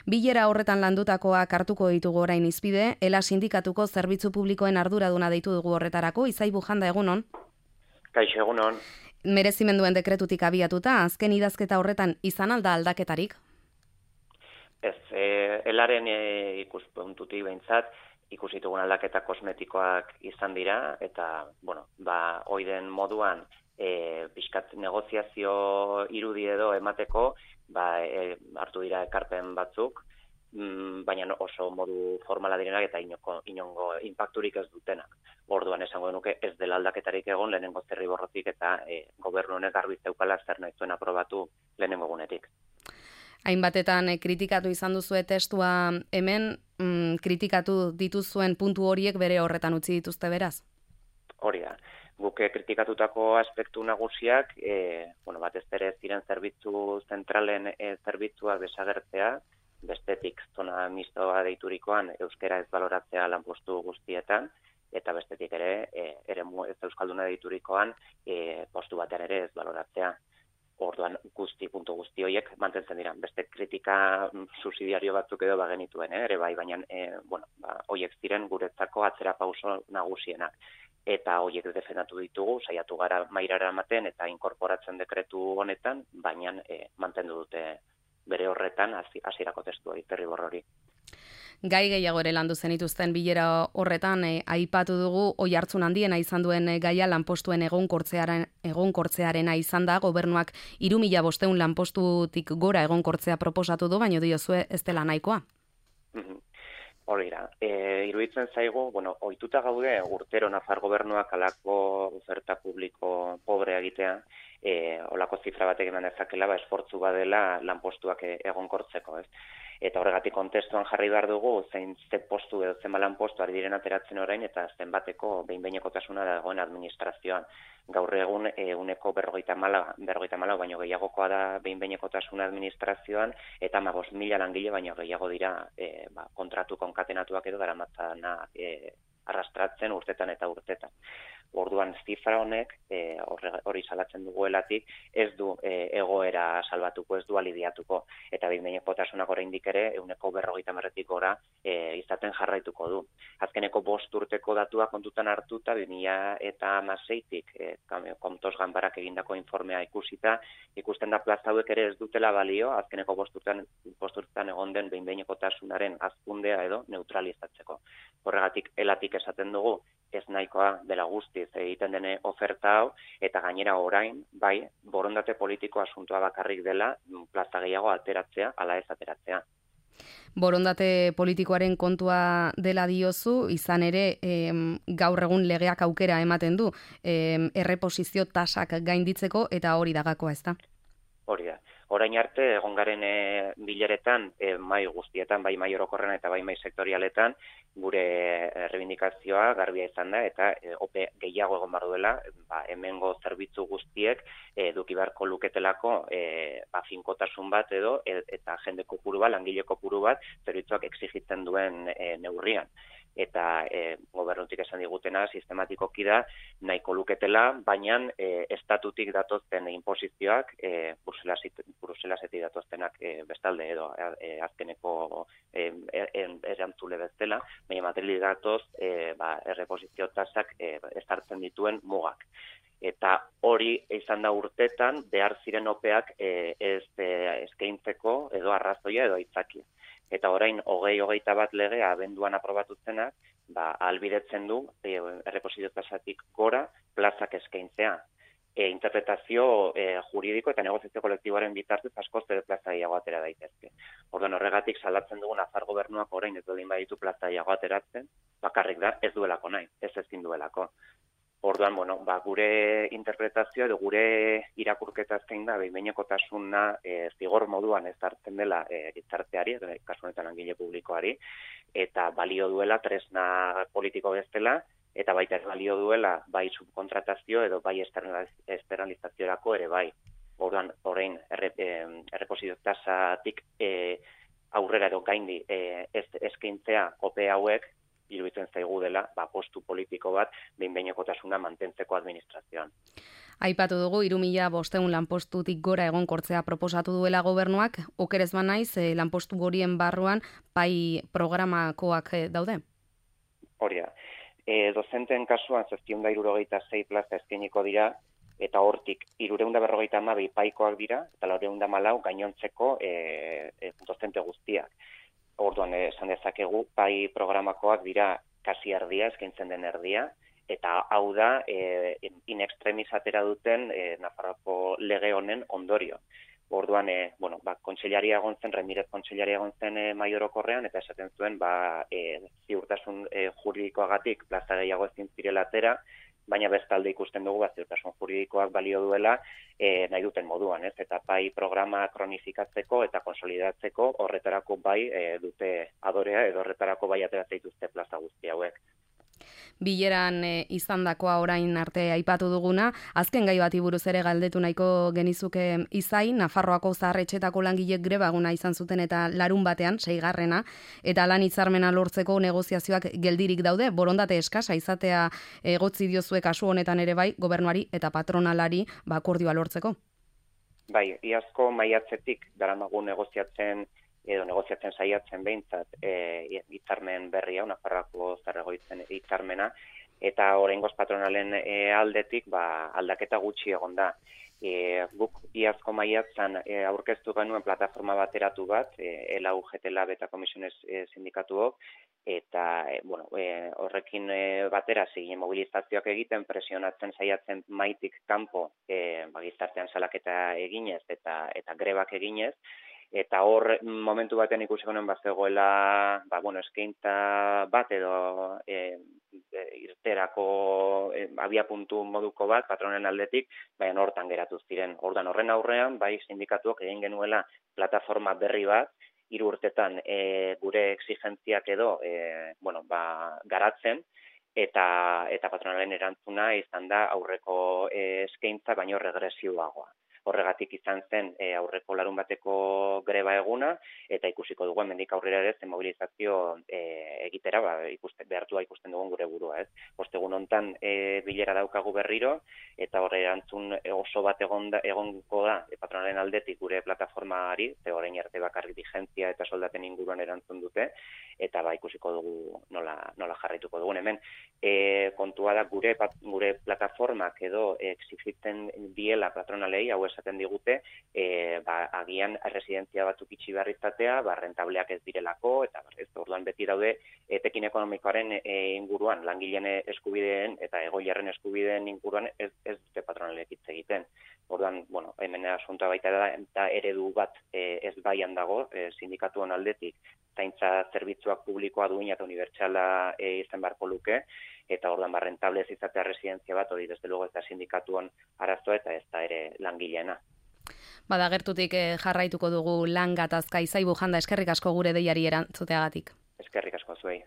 Bilera horretan landutakoak hartuko ditugu orain izpide, ELA sindikatuko zerbitzu publikoen arduraduna deitu dugu horretarako, Izai Bujanda, egunon? Kaixo, egunon. Merezimenduen dekretutik abiatuta, azken idazketa horretan izan alda aldaketarik? Ez, elaren ikuspuntutik behintzat, ikusitugun aldaketa kosmetikoak izan dira, eta, oiden moduan, pixkat negoziazio irudi edo emateko, hartu dira ekarpen batzuk, baina oso modu formala direnak eta inongo impacturik ez dutenak. Orduan esango nuke ez dela aldaketarik egon lehenengo zirriborrotik eta gobernu honek garbi zeukala zer nahi zuen aprobatu lehenengo egunetik. Hainbatetan kritikatu izan duzue testua hemen, kritikatu dituzuen puntu horiek bere horretan utzi dituzte beraz? Hori da. Guk kritikatutako aspektu nagusiak, batez ere ziren zerbitzu zentralen zerbitzuak desagertzea, bestetik zona mistoa deiturikoan euskera ez baloratzea lanpostu guztietan, eta bestetik ere eremu ez euskalduna deiturikoan postu batean ere ez baloratzea. Orduan puntu guzti horiek mantentzen dira. Beste kritika subsidiario batzuk edo bagenituen, ere bai, baina horiek ziren guretzako atzera pauso nagusienak. Eta horiek defendatu ditugu, saiatu gara mairara ematen eta inkorporatzen dekretu honetan, baina mantendu dute bere horretan hasierako testu hori, zirriborro hori. Gai gehiago ere landu zenituzten bilera horretan, aipatu dugu oihartzun handiena izan duen gaia lanpostuen egonkortzearena izan da, gobernuak 3.500 lanpostutik gora egonkortzea proposatu du, baina diozue ez dela nahikoa. Hori da, iruditzen zaigu, ohituta gaude urtero Nafar gobernuak alako oferta publiko pobrea egitea, olako zifra batek eman dezakela, esfortzu badela lanpostuak egonkortzeko, ez? Eta horregatik kontestuan jarri behar dugu, ze postu edo zenba lanpostu ari diren ateratzen orain, eta zenbateko behin-behinekotasuna dagoen administrazioan. Gaur egun uneko 54 baino gehiagokoa da behin-behinekotasuna administrazioan, eta 15.000 langile baino gehiago dira kontratu konkatenatuak edo daramatzana arrastratzen urtetan eta urtetan. Orduan zifra honek, hori salatzen duguelatik, ez du egoera salbatuko, ez du aliviatuko. Eta behin-behinekotasunak oraindik ere 50%-tik gora izaten jarraituko du. Azkeneko 5 urteko datuak kontutan hartuta, 2016-tik Komtos Ganbarak egindako informea ikusita, ikusten da plaza hauek ere ez dutela balio, azkeneko 5 urtetan egon den behin-behinekotasunaren hazkundea edo neutralizatzeko. Horregatik elatik esaten dugu, ez nahikoa dela guztiz egiten dene oferta hau, eta gainera orain, bai, borondate politiko asuntoa bakarrik dela, plaza gehiago ateratzea, ala ez ateratzea. Borondate politikoaren kontua dela diozu, izan ere gaur egun legeak aukera ematen du, erreposizio tasak gainditzeko, eta hori da gakoa, ez da? Hori da. Orain arte, egon garen bileretan, mai guztietan, bai mai orokorren eta bai mai sektorialetan, gure errebindikazioa garbia izan da, eta ope gehiago egon behar duela, hemengo zerbitzu guztiek eduki beharko luketelako finkotasun bat edo, eta jende kopuru bat, langile kopuru bat, zerbitzuak exigitzen duen neurrian. Eta gobernutik esan digutena sistematikoki da nahiko luketela, baina estatutik datozten inposizioak, Bruselasetik datoztenak bestalde edo azkeneko erantzule bezala, baina materiali datoz erreposizio tasak ezartzen dituen mugak. Eta hori izan da urtetan behar ziren opeak eskaintzeko edo arrazoia edo aitzakia. Eta orain 2021 legea abenduan aprobatuzenak, ahalbidetzen du erreposizio tasatik gora plazak eskaintzea. Interpretazio juridiko eta negoziazio kolektiboaren bitartez askoz ere plaza gehiago atera daitezke. Orduan horregatik salatzen dugu Nafar gobernuak orain ez baldin baditu plaza gehiago ateratzen, bakarrik da ez duelako nahi, ez ezin duelako. Orduan, gure interpretazioa edo gure irakurketa zein da, behin-behinekotasuna zigor moduan ez hartzen dela gizarteari, kasu honetan langile publikoari, eta balio duela tresna politiko bezala, eta baita ez balio duela bai subkontratazio edo bai externalizaziorako ere bai. Orduan, orain erreposizio tasatik aurrera edo gaindi eskaintzea ope hauek, iruditzen zaigu dela, postu politiko bat, behin-behinekotasuna mantentzeko administrazioan. Aipatu dugu 3.500 lanpostutik gora egonkortzea proposatu duela gobernuak, okerez banaiz lanpostu horien barruan pai programakoak daude? Hori da. Dozenten kasuan 776 plaza eskainiko dira, eta hortik 352 paikoak dira, eta 414 gainontzeko dozente guztiak. Orduan, esan dezakegu, pai programakoak dira kasi erdia, eskaintzen den erdia, eta hau da, in extremis atera duten Nafarroako lege honen ondorio. Orduan, kontseilaria egon zen, Remirez kontseilaria egon zen Maiorokorrean, eta esaten zuen, ziurtasun juridikoagatik plaza gehiago ezin zirela atera, baina bestalde ikusten dugu, ziurtasun juridikoak balio duela nahi duten moduan, ez? Eta pai programa kronifikatzeko eta konsolidatzeko horretarako bai dute adorea, edo horretarako bai ateratzen dituzte plaza guzti hauek. Bileran izandakoa orain arte aipatu duguna, azken gai bati buruz ere galdetu nahiko genizuke Izai, Nafarroako zaharretxetako langilek greba eguna izan zuten eta larun batean, 6. eta lan hitzarmena lortzeko negoziazioak geldirik daude, borondate eskasa izatea egotzi diozue kasu honetan ere bai, gobernuari eta patronalari akordioa lortzeko. Bai, iazko maiatzetik daramagu negoziatzen saiatzen behintzat hitzarmen berria, Nafarroako zaharregoitzen hitzarmena, eta oraingoz patronalen aldetik aldaketa gutxi egon da. Guk iazko maiatzan aurkeztu genuen plataforma bateratu bat, ELA-UGT-LAB eta Komisiones sindikatuok, eta horrekin batera zigien mobilizazioak egiten, presionatzen saiatzen maitik kanpo gizartean salaketa eginez eta grebak eginez, eta hor momentu batean ikusi genuen bazegoela eskaintza bat edo irterako abiapuntu moduko bat patronen aldetik, baina hortan geratu ziren. Ordan horren aurrean, bai sindikatuak egin genuela plataforma berri bat, 3 urtetan gure exigentziak edo garatzen, eta patronalen erantzuna izan da aurreko eskaintza baino regresioagoa. Horregatik izan zen aurreko larun bateko greba eguna, eta ikusiko dugu hemendik aurrera ere zen mobilizazio egitera behartua ikusten dugun gure burua. Ostegun hontan bilera daukagu berriro, eta horre erantzun oso bat egongo da patronalen aldetik gure plataformari, ze orain arte bakarrik vigentzia eta soldaten inguruan erantzun dute, eta ikusiko dugu nola jarraituko dugun. Hemen kontua da gure plataformak edo exigitzen diela patronalei, hau esaten digute, agian residentzia batzuk itxi behar izatea, rentableak ez direlako, eta orduan beti daude etekin ekonomikoaren inguruan, langileen eskubideen eta egoilarren eskubideen inguruan ez dute patronalek hitz egiten. Orduan, hemen asuntoa baita da, eta eredu bat ez baian dago, sindikatuen aldetik, zaintza zerbitzuak publikoa duina eta unibertsala izan beharko luke, eta orduan rentable ez izatea residentzia bat, hori desde luego ez da sindikatuen arazoa eta ez da ere langileena. Gertutik jarraituko dugu lan gatazka. Izai Bujanda, eskerrik asko gure deiari erantzuteagatik. Eskerrik asko zuei.